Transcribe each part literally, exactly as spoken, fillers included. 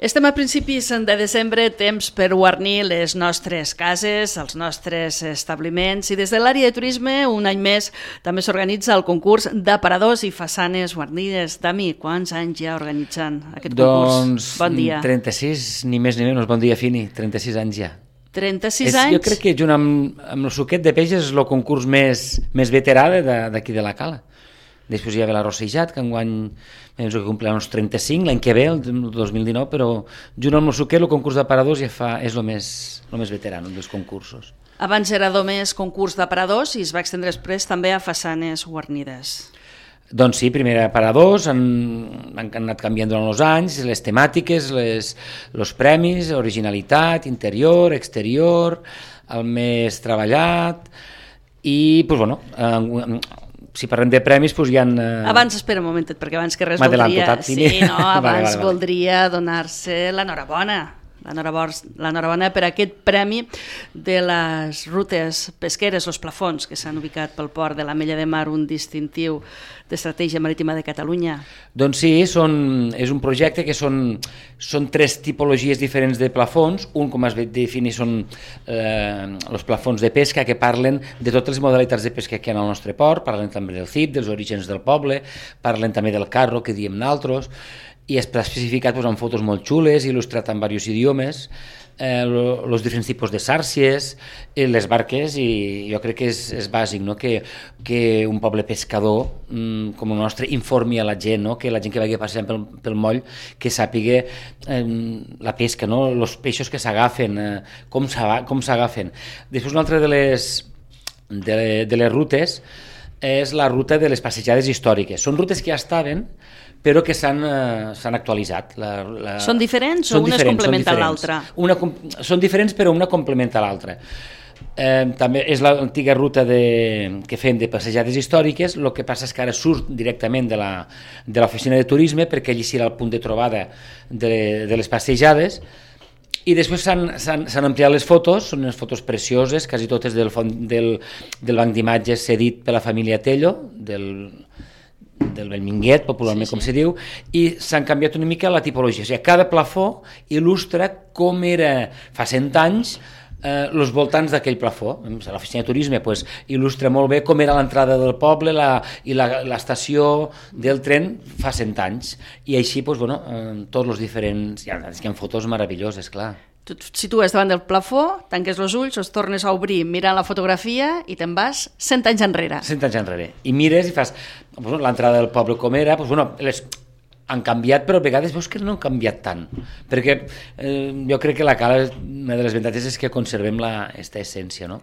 Estem a principis de desembre, temps per guarnir les nostres cases, els nostres establiments, i des de l'àrea de turisme, un any més, també s'organitza el concurs d'aparadors i façanes guarnides. Dami, quants anys ja organitzant aquest concurs? Doncs bon dia. trenta-sis, ni més ni menys, bon dia, Fini, trenta-sis anys ja. trenta-sis és, anys? Jo crec que junt amb, amb el suquet de peix és el concurs més, més veterà d'aquí de la Cala. Després hi ha la Rossejat, que enguany penso que complirà uns trenta-cinc, l'any que ve, el dos mil dinou, però junt amb el suquet el concurs d'aparadors ja fa, és el més, el més veterà dels concursos. Abans era només concurs d'aparadors i es va extendre després també a façanes guarnides. Doncs sí, primer aparadors, han, han anat canviant durant els anys, les temàtiques, les, els premis, originalitat, interior, exterior, el més treballat, i, doncs, bueno, eh, si parlem de premis, doncs hi ha... Eh... Abans, espera un momentet, perquè abans que res voldria... Tot, sí, no, abans vale, vale, vale. voldria donar-se l'enhorabona. L'enhorabona per aquest premi de les rutes pesqueres, els plafons que s'han ubicat pel port de l'Ametlla de Mar, un distintiu d'estratègia marítima de Catalunya. Doncs sí, són, és un projecte que són, són tres tipologies diferents de plafons. Un, com has definit, són eh, els plafons de pesca, que parlen de totes les modalitats de pesca que hi ha al nostre port, parlen també del C I P, dels orígens del poble, parlen també del carro, que diem naltros, i està especificat doncs, amb fotos molt xules, il·lustrat en diversos idiomes, eh, els diferents tipus de sàrcies, eh, les barques, i jo crec que és, és bàsic, no? que, que un poble pescador mm, com el nostre informi a la gent, no? Que la gent que vagi passant pel, pel moll, que sàpiga eh, la pesca, no? Els peixos que s'agafen, eh, com s'agafen. Després una altra de les, de, de les rutes és la ruta de les passejades històriques. Són rutes que ja estaven, però que s'han eh, actualitzat. La, la... Són diferents són o una diferents, es complementa a l'altra? Són diferents, però una complementa l'altra. Eh, també és l'antiga ruta de, que fem de passejades històriques, el que passa és que ara surt directament de l'oficina de turisme, perquè allí serà el punt de trobada de, de les passejades, i després s'han ampliat les fotos, són unes fotos precioses, quasi totes del, del, del banc d'imatges cedit per la família Tello, del... del Bellminguet, popularment sí, sí. com se diu, i s'han canviat una mica la tipologia. O sigui, cada plafó il·lustra com era fa cent anys eh, els voltants d'aquell plafó. L'oficina de turisme pues, il·lustra molt bé com era l'entrada del poble la, i l'estació del tren fa cent anys. I així, pues, bueno, eh, tots els diferents... Hi ha, hi ha fotos meravelloses, clar. Tu et situes davant del plafó, tanques els ulls, els tornes a obrir mirant la fotografia i te'n vas cent anys enrere. Cent anys enrere. I mires i fas bueno, l'entrada del poble com era, doncs, bueno, les han canviat, però a vegades veus que no han canviat tant. Perquè eh, jo crec que la Cala, una de les avantatges és que conservem aquesta essència, no?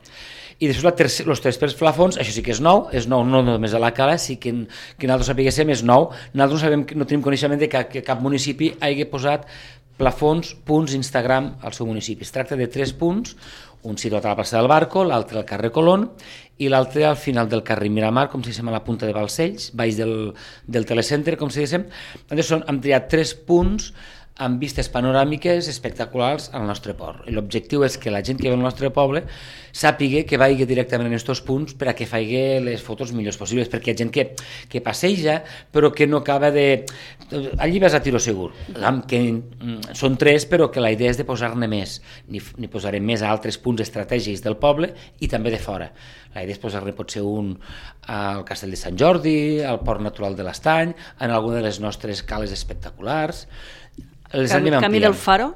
I després els tres plafons, això sí que és nou, és nou no només a la Cala, sí que, que nosaltres sapiguéssim és nou. Nosaltres no, sabem, no tenim coneixement de que, que cap municipi hagi posat plafons, punts Instagram al seu municipi. Es tracta de tres punts, un situat a la plaça del Barco, l'altre al carrer Colón i l'altre al final del carrer Miramar, com si diguéssim a la punta de Balcells, baix del, del telecenter, com si diguéssim. Són, hem triat tres punts amb vistes panoràmiques espectaculars al nostre port. I l'objectiu és que la gent que ve al nostre poble sàpiga que vagi directament en aquests punts per a que faci les fotos millors possibles, perquè hi ha gent que, que passeja però que no acaba de... Allí vas a tiro segur, que són tres però que la idea és de posar-ne més, n'hi posarem més a altres punts estratègics del poble i també de fora. La idea és posar-ne potser un al Castell de Sant Jordi, al Port Natural de l'Estany, en alguna de les nostres cales espectaculars. Camí, Camí del Faro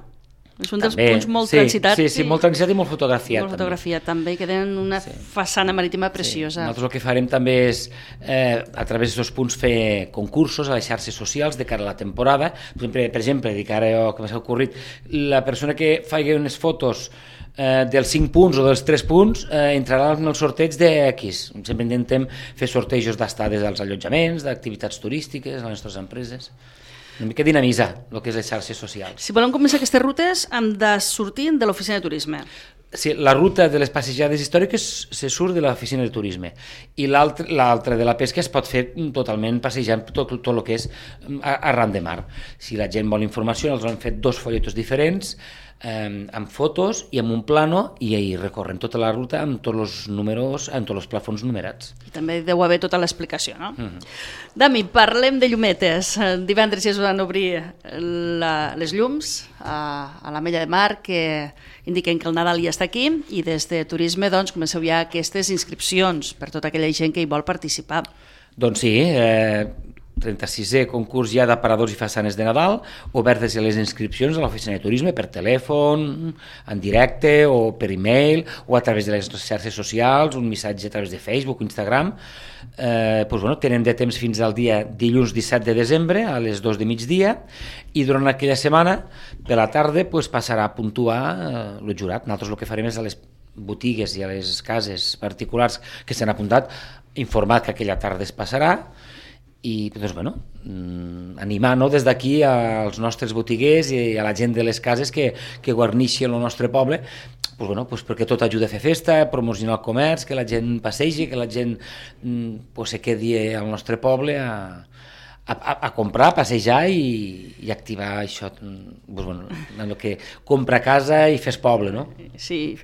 és un dels també, punts molt sí, transitats sí, sí, molt transitat i molt fotografiat, molt fotografiat també, també que tenen una sí. façana marítima preciosa. Sí. Nosaltres el que farem també és eh, a través d'aquests punts fer concursos a les xarxes socials de cara a la temporada. Per exemple, per exemple dic ara jo que m'ha ocorrit, la persona que faci unes fotos eh, dels cinc punts o dels tres punts eh, entrarà en el sorteig de X. Sempre intentem fer sortejos d'estades als allotjaments, d'activitats turístiques a les nostres empreses. Una mica dinamitzar el que és les xarxes socials. Si volem començar aquestes rutes hem de sortir de l'oficina de turisme. sí, la ruta de les passejades històriques se surt de l'oficina de turisme i l'altra de la pesca es pot fer totalment passejant tot, tot el que és arran de mar. Si la gent vol informació, els han fet dos folletos diferents eh, amb fotos i amb un plano i ahí recorren tota la ruta amb tots els números, amb tots els plafons numerats. I també deu haver tota l'explicació, no? Mm-hmm. Dami, parlem de llumetes. Divendres ja es van obrir la, les llums a, a la Mella de Mar que indiquen que el Nadal ja està aquí i des de Turisme doncs, comenceu ja aquestes inscripcions per tota aquella gent que hi vol participar. Doncs sí, eh, trenta-sisè concurs ja d'aparadors i façanes de Nadal, obertes a les inscripcions a l'oficina de turisme per telèfon, en directe o per e-mail o a través de les xarxes socials, un missatge a través de Facebook o Instagram. Eh, doncs, bueno, tenen de temps fins al dia dilluns disset de desembre a les dos de migdia i durant aquella setmana de la tarda pues, passarà a puntuar eh, el jurat. Nosaltres el que farem és a les botigues i a les cases particulars que s'han apuntat informar que aquella tarda es passarà i doncs, bueno, animar no, des d'aquí als nostres botiguers i a la gent de les cases que, que guarneixi el nostre poble pues, bueno, pues, perquè tot ajuda a fer festa, a promocionar el comerç, que la gent passegi, que la gent pues, se quedi al nostre poble a, a, a comprar, a passejar i, i activar això, pues, bueno, el que compra casa i fes poble, no? Sí,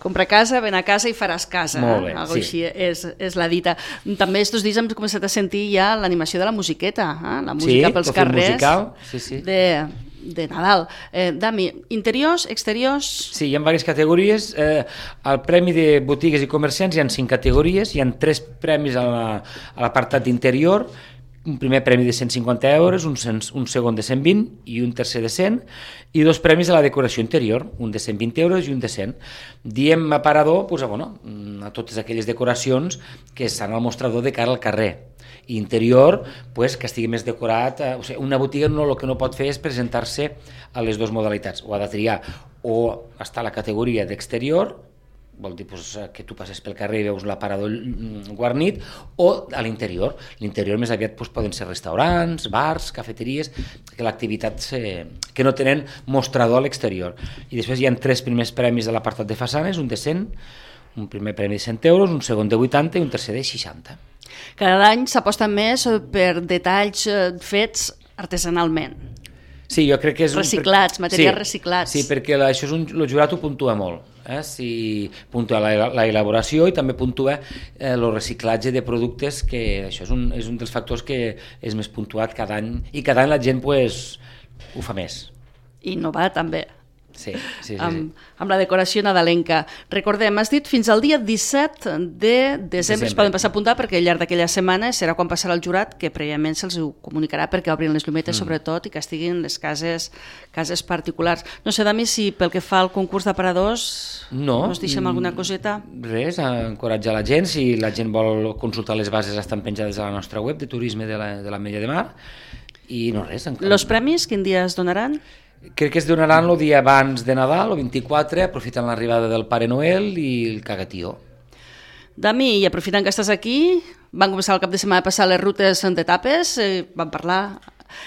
compra casa, ven a casa i faràs casa. Molt bé, eh? Algo sí. Així és, és la dita. També estos dies hem començat a sentir ja l'animació de la musiqueta, eh? La música sí, pels carrers musical, sí, sí. De, de Nadal. Eh, Dami, interiors, exteriors... Sí, hi ha diverses categories. Eh, al Premi de Botigues i Comerciants hi ha cinc categories, hi ha tres premis a l'apartat d'interior, un primer premi de cent cinquanta euros, un, un segon de cent vint i un tercer de cent, i dos premis a la decoració interior, un de cent vint euros i un de cent. Diem aparador pues, a, bueno, a totes aquelles decoracions que estan al mostrador de cara al carrer. I interior, pues, que estigui més decorat. Eh, o sigui, una botiga no, el que no pot fer és presentar-se a les dues modalitats. O ha de triar o està a la categoria d'exterior, vol dir pues, que tu passes pel carrer i veus l'aparador guarnit, o a l'interior. L'interior més aviat pues, poden ser restaurants, bars, cafeteries, que l'activitat se... que no tenen mostrador a l'exterior. I després hi ha tres primers premis de l'apartat de façanes, un de cent, un primer premi de cent euros, un segon de vuitanta i un tercer de seixanta. Cada any s'aposta més per detalls fets artesanalment. Sí, jo crec que és... Reciclats, un... materials sí, reciclats. Sí, perquè la, això és un, el jurat ho puntua molt. Eh? Si puntua la, la elaboració i també puntua eh, el reciclatge de productes, que això és un, és un dels factors que és més puntuat cada any, i cada any la gent pues, ho fa més. I innovar també. Sí, sí, sí, amb, sí. amb la decoració nadalenca. Recordem, has dit fins al dia disset de desembre, desembre. Es poden passar a apuntar perquè al llarg d'aquella setmana serà quan passarà el jurat, que prèviament se'ls ho comunicarà perquè obrin les llumetes mm. sobretot i que estiguin les cases, cases particulars. No sé, Dami, si pel que fa al concurs d'aparadors no, us deixem alguna coseta? Res, encoratjar la gent. Si la gent vol consultar les bases estan penjades a la nostra web de turisme de la, de la Mella de Mar i no res. Encara... Los premis, quin dia es donaran? Crec que es donaran el dia abans de Nadal, el vint-i-quatre, aprofitant l'arribada del Pare Noel i el cagatió. Dami, i aprofitant que estàs aquí, van començar el cap de setmana a passar les rutes d'etapes, eh, van parlar,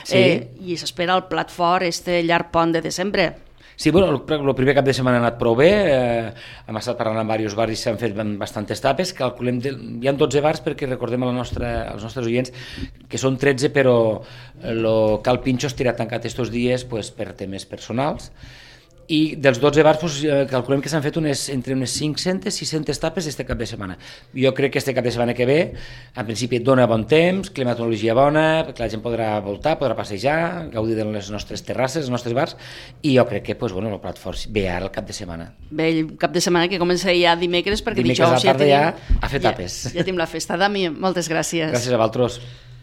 sí. eh, i s'espera el plat fort, este llarg pont de desembre. Sí, bueno, el, el primer cap de setmana ha anat prou bé, eh, hem estat parlant amb diversos bars i s'han fet bastantes tapes, calculem, de, hi ha dotze bars perquè recordem a la nostra, als nostres oients que són tretze, però el Cal Pinxo estirà tancat estos dies pues, per temes personals, i dels dotze bars pues, calculem que s'han fet unes, entre unes cinc-centes, sis-centes tapes este cap de setmana. Jo crec que este cap de setmana que ve, en principi dona bon temps, climatologia bona, perquè la gent podrà voltar, podrà passejar, gaudir de les nostres terrasses, els nostres bars, i jo crec que pues, bueno, el plat fort ve ara el cap de setmana. Bé, el cap de setmana que comença ja dimecres, perquè dimecres dijous a la tarda ja, tenim, ja a fer tapes. Ja, ja tenim la festa. Dami, moltes gràcies. Gràcies a vosaltres.